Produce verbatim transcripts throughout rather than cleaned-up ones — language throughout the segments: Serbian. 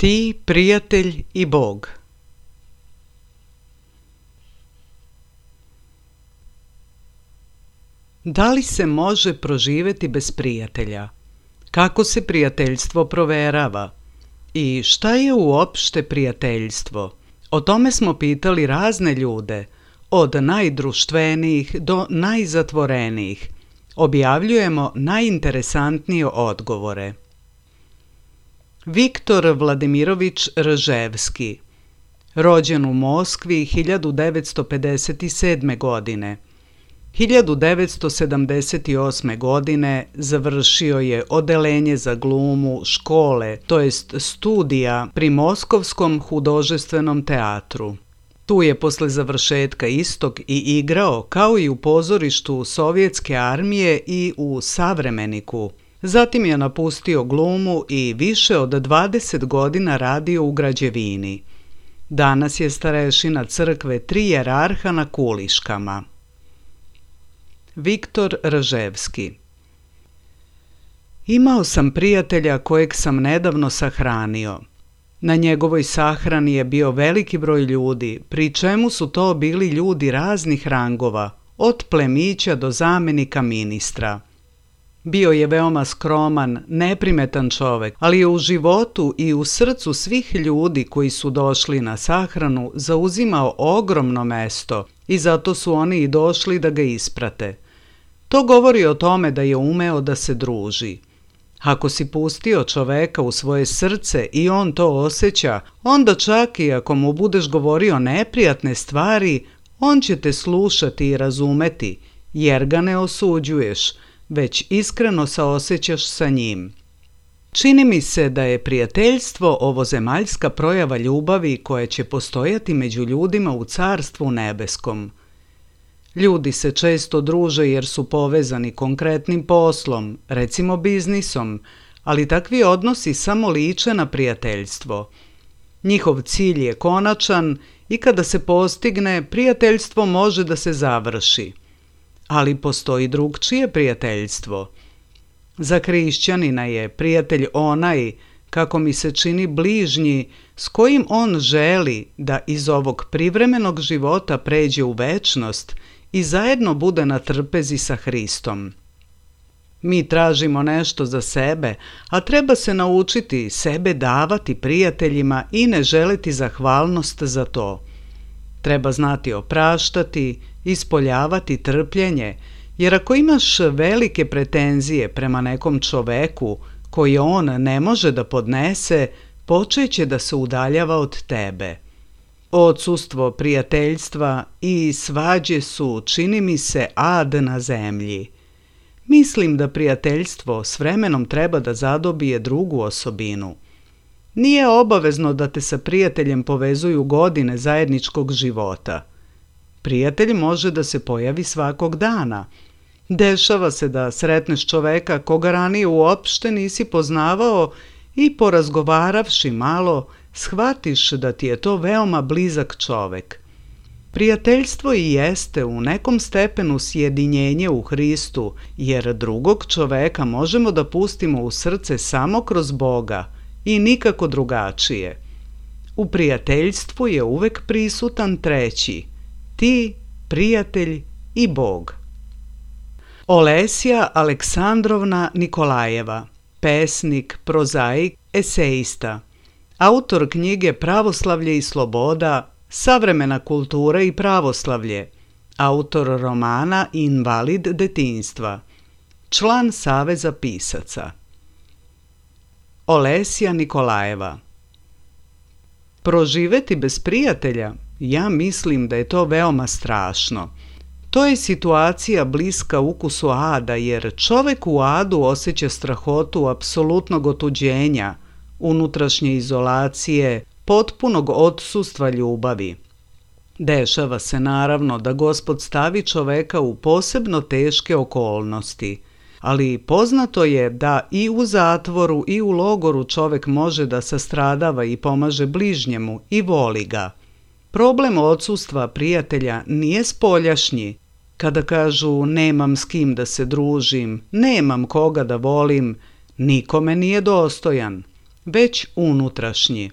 Ti, prijatelj i Bog. Da li se može proživjeti bez prijatelja? Kako se prijateljstvo proverava? I šta je uopšte prijateljstvo? O tome smo pitali razne ljude, od najdruštvenijih do najzatvorenijih. Objavljujemo najinteresantnije odgovore. Viktor Vladimirović Rževski, rođen u Moskvi hiljadu devetsto pedeset sedme. godine. hiljadu devetsto sedamdeset osme. godine završio je odelenje za glumu škole, to jest studija pri Moskovskom hudожественom teatru. Tu je posle završetka istog i igrao kao i u pozorištu Sovjetske armije i u Savremeniku. Zatim je napustio glumu i više od dvadeset godina radio u građevini. Danas je starešina crkve Tri jerarha na Kuliškama. Viktor Raževski. Imao sam prijatelja kojeg sam nedavno sahranio. Na njegovoj sahrani je bio veliki broj ljudi, pri čemu su to bili ljudi raznih rangova, od plemića do zamenika ministra. Bio je veoma skroman, neprimetan čovek, ali je u životu i u srcu svih ljudi koji su došli na sahranu zauzimao ogromno mesto i zato su oni i došli da ga isprate. To govori o tome da je umeo da se druži. Ako si pustio čoveka u svoje srce i on to osjeća, onda čak i ako mu budeš govorio neprijatne stvari, on će te slušati i razumeti, jer ga ne osuđuješ, već iskreno saosećaš sa njim. Čini mi se da je prijateljstvo ovozemaljska projava ljubavi koja će postojati među ljudima u Carstvu nebeskom. Ljudi se često druže jer su povezani konkretnim poslom, recimo biznisom, ali takvi odnosi samo liče na prijateljstvo. Njihov cilj je konačan i kada se postigne, prijateljstvo može da se završi. Ali postoji drugčije prijateljstvo. Za hrišćanina je prijatelj onaj, kako mi se čini, bližnji, s kojim on želi da iz ovog privremenog života pređe u večnost i zajedno bude na trpezi sa Hristom. Mi tražimo nešto za sebe, a treba se naučiti sebe davati prijateljima i ne želiti zahvalnost za to. Treba znati opraštati, ispoljavati trpljenje, jer ako imaš velike pretenzije prema nekom čoveku koje on ne može da podnese, počeće da se udaljava od tebe. Odsustvo prijateljstva i svađe su, čini mi se, ad na zemlji. Mislim da prijateljstvo s vremenom treba da zadobije drugu osobinu. Nije obavezno da te sa prijateljem povezuju godine zajedničkog života. Prijatelj može da se pojavi svakog dana. Dešava se da sretneš čoveka koga ranije uopšte nisi poznavao i porazgovaravši malo, shvatiš da ti je to veoma blizak čovek. Prijateljstvo i jeste u nekom stepenu sjedinjenje u Hristu, jer drugog čoveka možemo da pustimo u srce samo kroz Boga i nikako drugačije. U prijateljstvu je uvek prisutan treći, ti, prijatelj i Bog. Olesja Aleksandrovna Nikolajeva, pesnik, prozaik, eseista, autor knjige Pravoslavlje i sloboda, Savremena kultura i pravoslavlje, autor romana Invalid detinjstva, član Saveza pisaca. Olesja Nikolajeva. Proživeti bez prijatelja, ja mislim da je to veoma strašno. To je situacija bliska ukusu ada, jer čovek u adu osjeća strahotu apsolutnog otuđenja, unutrašnje izolacije, potpunog odsustva ljubavi. Dešava se naravno da Gospod stavi čoveka u posebno teške okolnosti, ali poznato je da i u zatvoru i u logoru čovek može da sastradava i pomaže bližnjemu i voli ga. Problem odsustva prijatelja nije spoljašnji. Kada kažu nemam s kim da se družim, nemam koga da volim, nikome nije dostojan, već unutrašnji.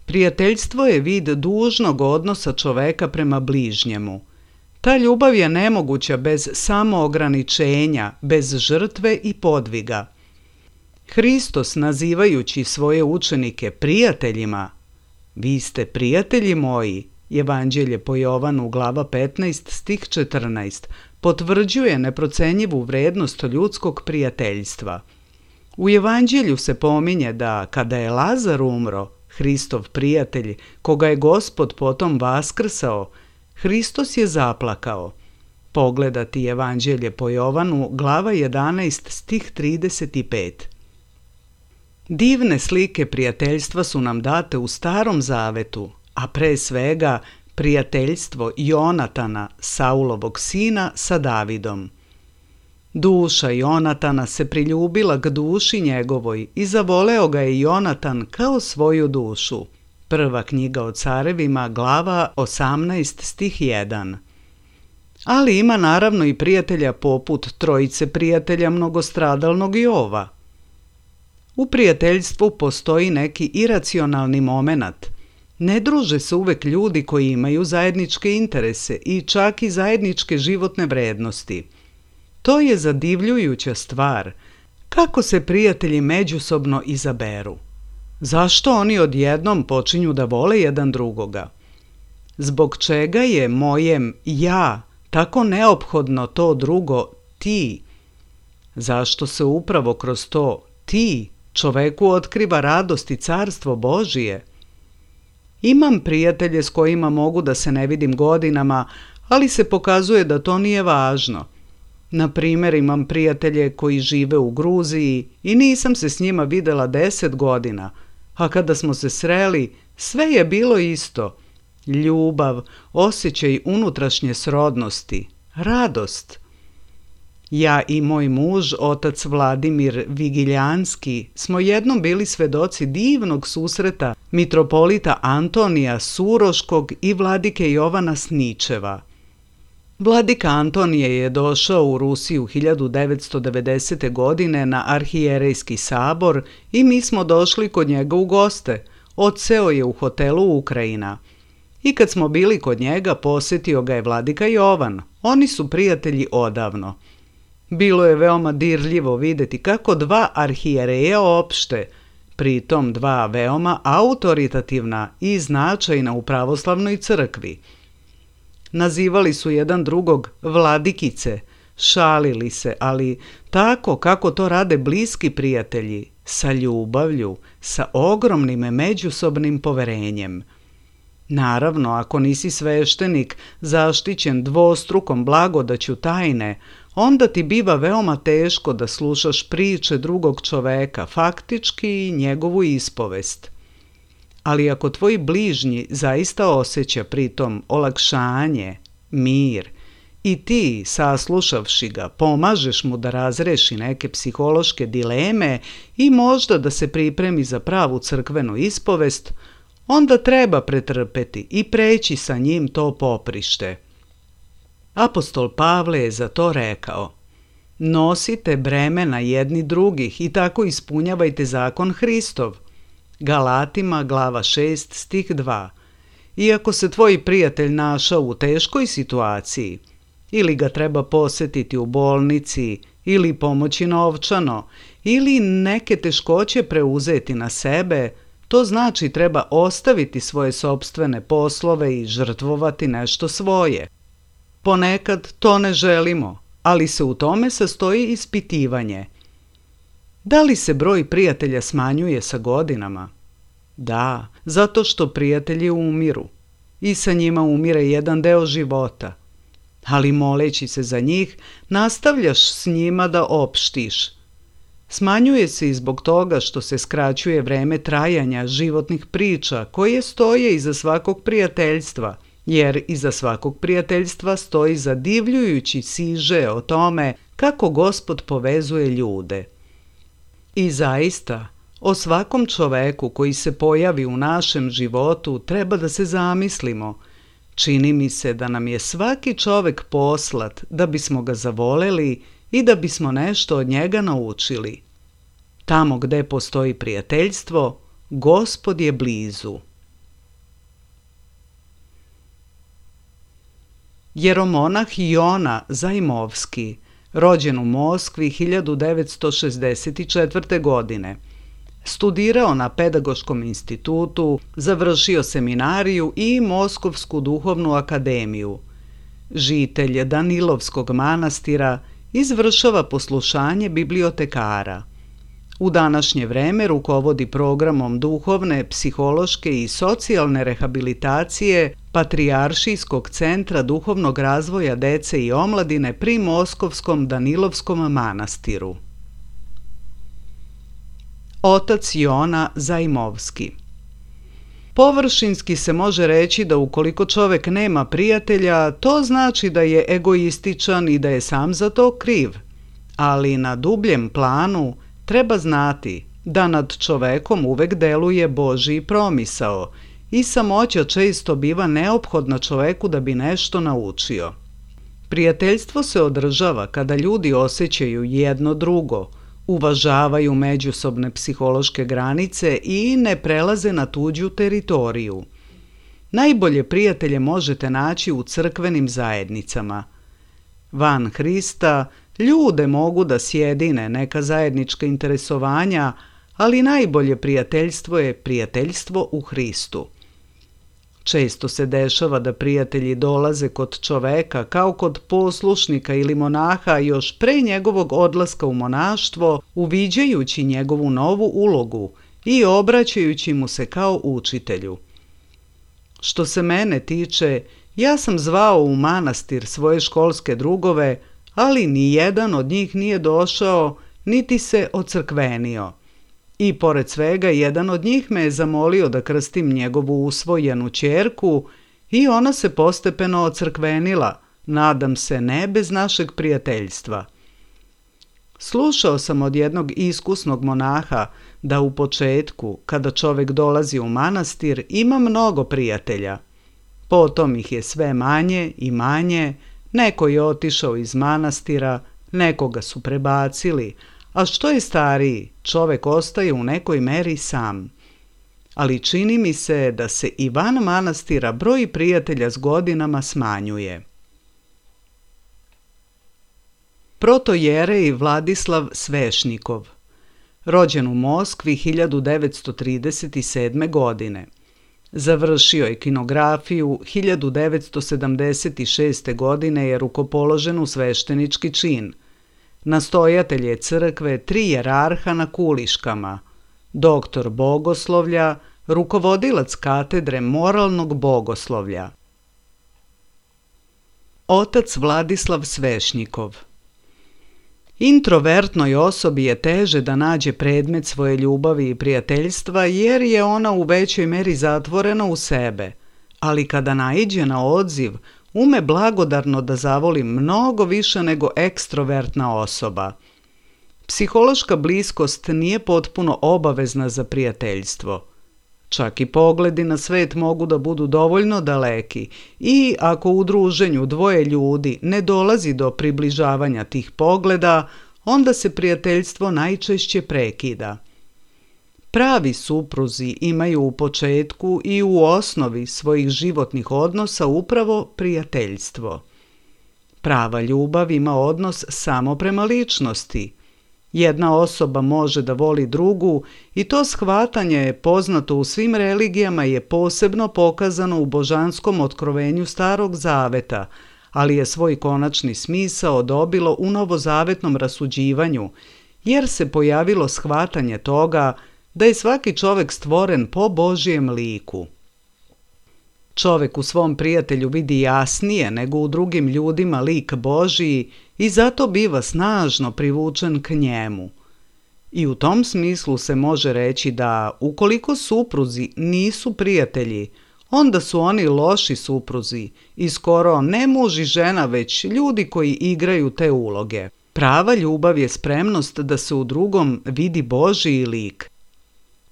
Prijateljstvo je vid dužnog odnosa čoveka prema bližnjemu. Ta ljubav je nemoguća bez samoograničenja, bez žrtve i podviga. Hristos, nazivajući svoje učenike prijateljima, vi ste prijatelji moji, Evanđelje po Jovanu glava petnaest stih četrnaest, potvrđuje neprocenjivu vrednost ljudskog prijateljstva. U Evanđelju se pominje da kada je Lazar umro, Hristov prijatelj, koga je Gospod potom vaskrsao, Hristos je zaplakao. Pogledati Evanđelje po Jovanu, glava jedanaest, stih trideset pet. Divne slike prijateljstva su nam date u Starom zavetu, a pre svega prijateljstvo Jonatana, Saulovog sina, sa Davidom. Duša Jonatana se priljubila k duši njegovoj i zavoleo ga je Jonatan kao svoju dušu. Prva knjiga o carevima, glava osamnaest, stih jedan. Ali ima naravno i prijatelja poput trojice prijatelja mnogostradalnog Jova. U prijateljstvu postoji neki iracionalni momenat. Ne druže se uvek ljudi koji imaju zajedničke interese i čak i zajedničke životne vrednosti. To je zadivljujuća stvar. Kako se prijatelji međusobno izaberu? Zašto oni odjednom počinju da vole jedan drugoga? Zbog čega je mojem ja tako neophodno to drugo ti? Zašto se upravo kroz to ti čoveku otkriva radost i carstvo Božije? Imam prijatelje s kojima mogu da se ne vidim godinama, ali se pokazuje da to nije važno. Na primjer, imam prijatelje koji žive u Gruziji i nisam se s njima videla deset godina, a kada smo se sreli, sve je bilo isto. Ljubav, osjećaj unutrašnje srodnosti, radost. Ja i moj muž, otac Vladimir Vigiljanski, smo jednom bili svedoci divnog susreta mitropolita Antonija Suroškog i vladike Jovana Sničeva. Vladika Antonije je došao u Rusiju hiljadu devetsto devedesete. godine na arhijerejski sabor i mi smo došli kod njega u goste. Odseo je u hotelu Ukrajina. I kad smo bili kod njega, posjetio ga je vladika Jovan. Oni su prijatelji odavno. Bilo je veoma dirljivo vidjeti kako dva arhijereja opšte, pritom dva veoma autoritativna i značajna u pravoslavnoj crkvi. Nazivali su jedan drugog vladikice, šalili se, ali tako kako to rade bliski prijatelji, sa ljubavlju, sa ogromnim međusobnim poverenjem. Naravno, ako nisi sveštenik, zaštićen dvostrukom blagodaću tajne, onda ti biva veoma teško da slušaš priče drugog čoveka, faktički i njegovu ispovest. Ali ako tvoj bližnji zaista osjeća pritom olakšanje, mir, i ti, saslušavši ga, pomažeš mu da razreši neke psihološke dileme i možda da se pripremi za pravu crkvenu ispovest, onda treba pretrpeti i preći sa njim to poprište. Apostol Pavle je za to rekao: nosite bremena jedni drugih i tako ispunjavajte zakon Hristov. Galatima, glava šest, stih dva. Iako se tvoj prijatelj našao u teškoj situaciji, ili ga treba posjetiti u bolnici, ili pomoći novčano, ili neke teškoće preuzeti na sebe, to znači treba ostaviti svoje sopstvene poslove i žrtvovati nešto svoje. Ponekad to ne želimo, ali se u tome sastoji ispitivanje. Da li se broj prijatelja smanjuje sa godinama? Da, zato što prijatelji umiru i sa njima umire jedan deo života. Ali moleći se za njih, nastavljaš s njima da opštiš. Smanjuje se i zbog toga što se skraćuje vreme trajanja životnih priča koje stoje iza svakog prijateljstva, jer iza svakog prijateljstva stoji zadivljujući siže o tome kako Gospod povezuje ljude. I zaista, o svakom čoveku koji se pojavi u našem životu treba da se zamislimo. Čini mi se da nam je svaki čovek poslat da bismo ga zavoleli i da bismo nešto od njega naučili. Tamo gde postoji prijateljstvo, Gospod je blizu. Jeromonah Jona Zajmovski, rođen u Moskvi hiljadu devetsto šezdeset četvrte. godine. Studirao na Pedagoškom institutu, završio seminariju i Moskovsku duhovnu akademiju. Žitelj Danilovskog manastira, izvršava poslušanje bibliotekara. U današnje vreme rukovodi programom duhovne, psihološke i socijalne rehabilitacije Patrijaršijskog centra duhovnog razvoja dece i omladine pri Moskovskom Danilovskom manastiru. Otac Jona Zajmovski. Površinski se može reći da ukoliko čovjek nema prijatelja, to znači da je egoističan i da je sam za to kriv. Ali na dubljem planu treba znati da nad čovekom uvek deluje Božji promisao i samoća često biva neophodna čoveku da bi nešto naučio. Prijateljstvo se održava kada ljudi osjećaju jedno drugo, uvažavaju međusobne psihološke granice i ne prelaze na tuđu teritoriju. Najbolje prijatelje možete naći u crkvenim zajednicama. Van Hrista ljude mogu da sjedine neka zajednička interesovanja, ali najbolje prijateljstvo je prijateljstvo u Hristu. Često se dešava da prijatelji dolaze kod čoveka kao kod poslušnika ili monaha još pre njegovog odlaska u monaštvo, uviđajući njegovu novu ulogu i obraćajući mu se kao učitelju. Što se mene tiče, ja sam zvao u manastir svoje školske drugove, ali ni jedan od njih nije došao niti se ocrkvenio. I pored svega, jedan od njih me je zamolio da krstim njegovu usvojenu ćerku i ona se postepeno ocrkvenila, nadam se ne bez našeg prijateljstva. Slušao sam od jednog iskusnog monaha da u početku, kada čovjek dolazi u manastir, ima mnogo prijatelja. Potom ih je sve manje i manje, neko je otišao iz manastira, nekoga su prebacili, a što je stariji, čovjek ostaje u nekoj meri sam. Ali čini mi se da se i van manastira broj prijatelja s godinama smanjuje. Protojerej Vladislav Svešnikov, rođen u Moskvi hiljadu devetsto trideset sedme. godine. Završio je kinografiju, hiljadu devetsto sedamdeset šeste. godine je rukopoložen u sveštenički čin. Nastojatelj je crkve tri jerarha na Kuliškama, doktor bogoslovlja, rukovodilac katedre moralnog bogoslovlja. Otac Vladislav Svešnikov. Introvertnoj osobi je teže da nađe predmet svoje ljubavi i prijateljstva jer je ona u većoj meri zatvorena u sebe, ali kada naiđe na odziv, ume blagodarno da zavoli mnogo više nego ekstrovertna osoba. Psihološka bliskost nije potpuno obavezna za prijateljstvo. Čak i pogledi na svet mogu da budu dovoljno daleki i ako u druženju dvoje ljudi ne dolazi do približavanja tih pogleda, onda se prijateljstvo najčešće prekida. Pravi supruzi imaju u početku i u osnovi svojih životnih odnosa upravo prijateljstvo. Prava ljubav ima odnos samo prema ličnosti. Jedna osoba može da voli drugu i to shvatanje je poznato u svim religijama i je posebno pokazano u božanskom otkrovenju Starog Zaveta, ali je svoj konačni smisao dobilo u novozavetnom rasuđivanju, jer se pojavilo shvatanje toga da je svaki čovjek stvoren po Božjem liku. Čovjek u svom prijatelju vidi jasnije nego u drugim ljudima lik Božiji i zato biva snažno privučen k njemu. I u tom smislu se može reći da ukoliko supruzi nisu prijatelji, onda su oni loši supruzi i skoro ne muž i žena već ljudi koji igraju te uloge. Prava ljubav je spremnost da se u drugom vidi Božji lik.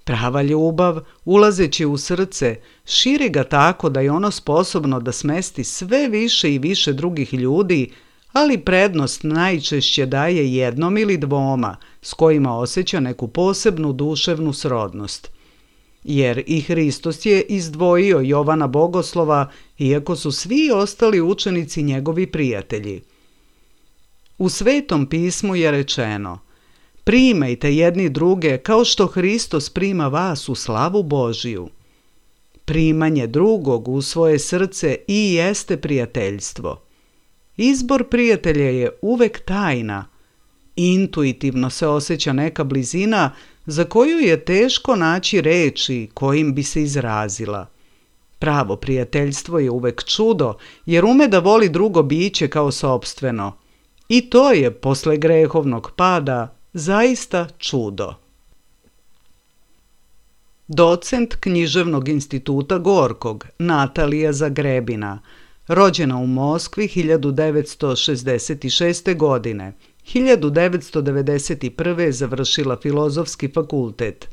Prava ljubav, ulazeći u srce, širi ga tako da je ono sposobno da smesti sve više i više drugih ljudi, ali prednost najčešće daje jednom ili dvoma s kojima osjeća neku posebnu duševnu srodnost. Jer i Hristos je izdvojio Jovana Bogoslova, iako su svi ostali učenici njegovi prijatelji. U Svetom pismu je rečeno: primajte jedni druge kao što Hristos prima vas u slavu Božiju. Primanje drugog u svoje srce i jeste prijateljstvo. Izbor prijatelja je uvek tajna. Intuitivno se osjeća neka blizina za koju je teško naći reči kojim bi se izrazila. Pravo prijateljstvo je uvek čudo, jer ume da voli drugo biće kao sopstveno. I to je, posle grehovnog pada, zaista čudo. docent Književnog instituta Gorkog, Natalija Zagrebina, rođena u Moskvi hiljadu devetsto šezdeset šeste. godine. hiljadu devetsto devedeset prve. je završila Filozofski fakultet.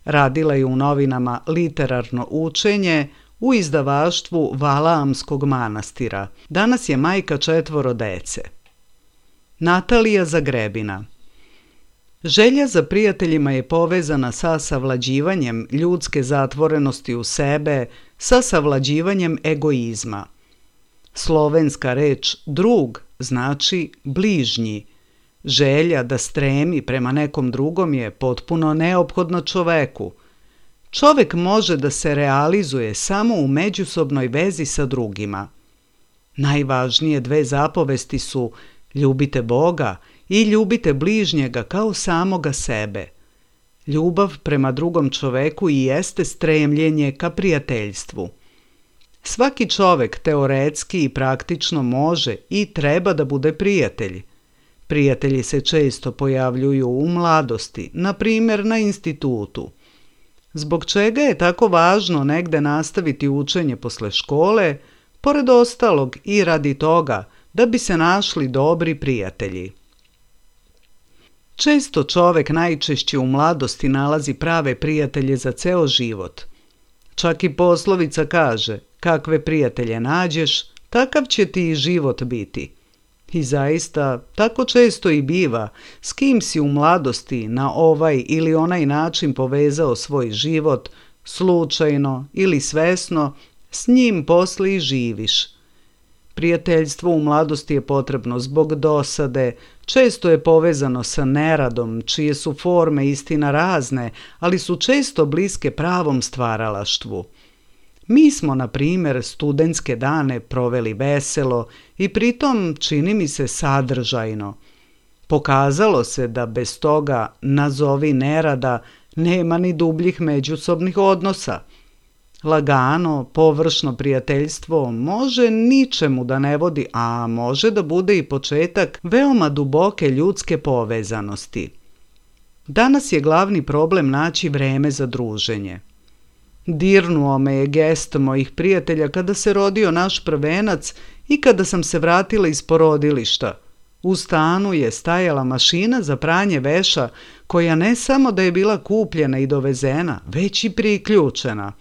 Radila je u novinama Literarno učenje u izdavaštvu Valaamskog manastira. Danas je majka četvoro dece. Natalija Zagrebina. Želja za prijateljima je povezana sa savlađivanjem ljudske zatvorenosti u sebe, sa savlađivanjem egoizma. Slovenska reč drug znači bližnji. Želja da stremi prema nekom drugom je potpuno neophodna čoveku. Čovek može da se realizuje samo u međusobnoj vezi sa drugima. Najvažnije dve zapovesti su ljubite Boga i ljubite bližnjega kao samoga sebe. Ljubav prema drugom čoveku i jeste stremljenje ka prijateljstvu. Svaki čovek teoretski i praktično može i treba da bude prijatelj. Prijatelji se često pojavljuju u mladosti, na primjer na institutu. Zbog čega je tako važno negde nastaviti učenje posle škole, pored ostalog i radi toga da bi se našli dobri prijatelji. Često čovek najčešće u mladosti nalazi prave prijatelje za ceo život. Čak i poslovica kaže, kakve prijatelje nađeš, takav će ti i život biti. I zaista, tako često i biva, s kim si u mladosti na ovaj ili onaj način povezao svoj život, slučajno ili svesno, s njim posle i živiš. Prijateljstvo u mladosti je potrebno zbog dosade, često je povezano sa neradom, čije su forme istina razne, ali su često bliske pravom stvaralaštvu. Mi smo, na primjer, studentske dane proveli veselo i pritom čini mi se sadržajno. Pokazalo se da bez toga, nazovi nerada, nema ni dubljih međusobnih odnosa. Lagano, površno prijateljstvo može ničemu da ne vodi, a može da bude i početak veoma duboke ljudske povezanosti. Danas je glavni problem naći vreme za druženje. Dirnuo me je gest mojih prijatelja kada se rodio naš prvenac i kada sam se vratila iz porodilišta. U stanu je stajala mašina za pranje veša koja ne samo da je bila kupljena i dovezena, već i priključena.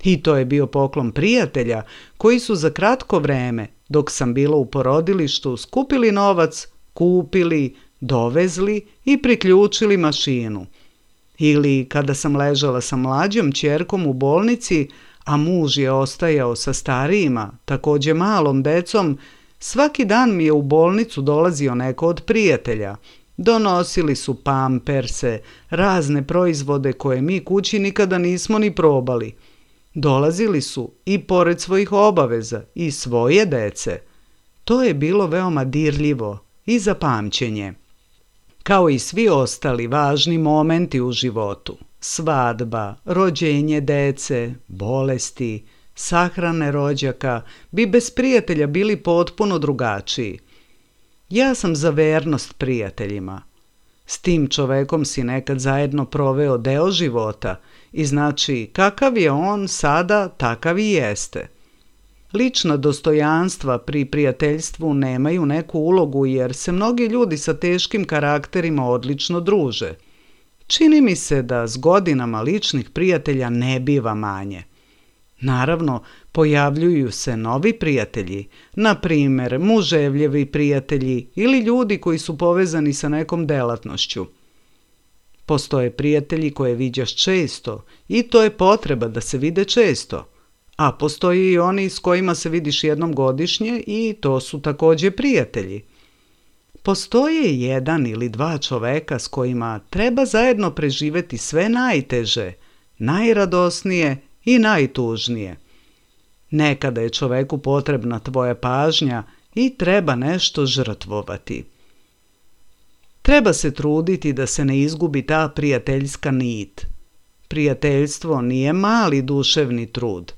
I to je bio poklon prijatelja koji su za kratko vreme, dok sam bila u porodilištu, skupili novac, kupili, dovezli i priključili mašinu. Ili kada sam ležala sa mlađom ćerkom u bolnici, a muž je ostajao sa starijima, takođe malom decom, svaki dan mi je u bolnicu dolazio neko od prijatelja. Donosili su pamperse, razne proizvode koje mi kući nikada nismo ni probali. Dolazili su i pored svojih obaveza i svoje dece. To je bilo veoma dirljivo i za pamćenje. Kao i svi ostali važni momenti u životu, svadba, rođenje dece, bolesti, sahrane rođaka, bi bez prijatelja bili potpuno drugačiji. Ja sam za vernost prijateljima. S tim čovekom si nekad zajedno proveo deo života i znači kakav je on sada, takav i jeste. Lična dostojanstva pri prijateljstvu nemaju neku ulogu jer se mnogi ljudi sa teškim karakterima odlično druže. Čini mi se da s godinama ličnih prijatelja ne biva manje. Naravno, pojavljuju se novi prijatelji, na primjer muževljevi prijatelji ili ljudi koji su povezani sa nekom delatnošću. Postoje prijatelji koje viđaš često i to je potreba da se vide često. A postoji i oni s kojima se vidiš jednom godišnje i to su takođe prijatelji. Postoje jedan ili dva čoveka s kojima treba zajedno preživeti sve najteže, najradosnije i najtužnije. Nekada je čoveku potrebna tvoja pažnja i treba nešto žrtvovati. Treba se truditi da se ne izgubi ta prijateljska nit. Prijateljstvo nije mali duševni trud.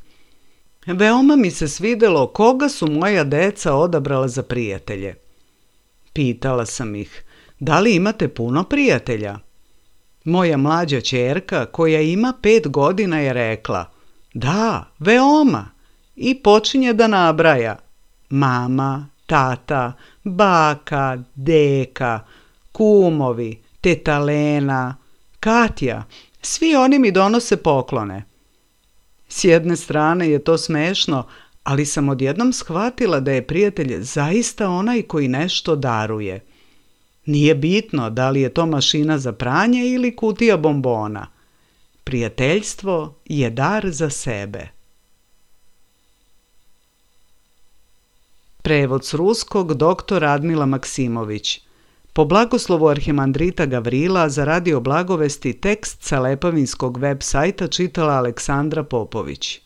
Veoma mi se svidelo koga su moja deca odabrala za prijatelje. Pitala sam ih, da li imate puno prijatelja? Moja mlađa ćerka, koja ima pet godina, je rekla: da, veoma, i počinje da nabraja: mama, tata, baka, deka, kumovi, teta Lena, Katja, svi oni mi donose poklone. S jedne strane je to smešno, ali sam odjednom shvatila da je prijatelj zaista onaj koji nešto daruje. Nije bitno da li je to mašina za pranje ili kutija bombona. Prijateljstvo je dar za sebe. Prevod s ruskog doktor Radmila Maksimović. Po blagoslovu arhimandrita Gavrila za Radio Blagovesti tekst sa Lepavinskog web sajta čitala Aleksandra Popović.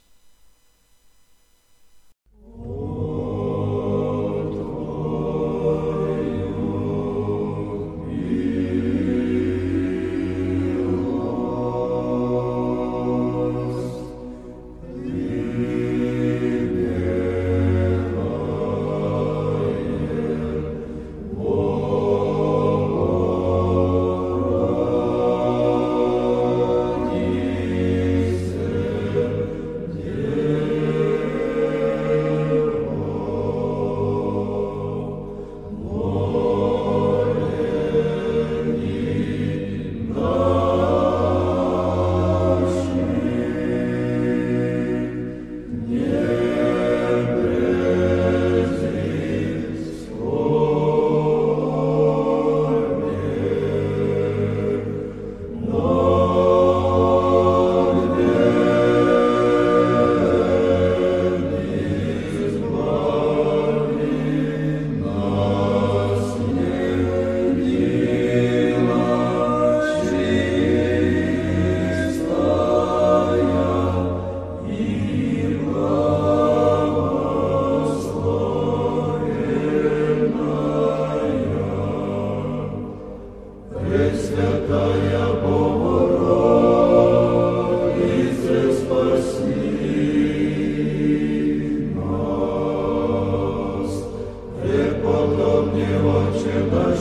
Oče naš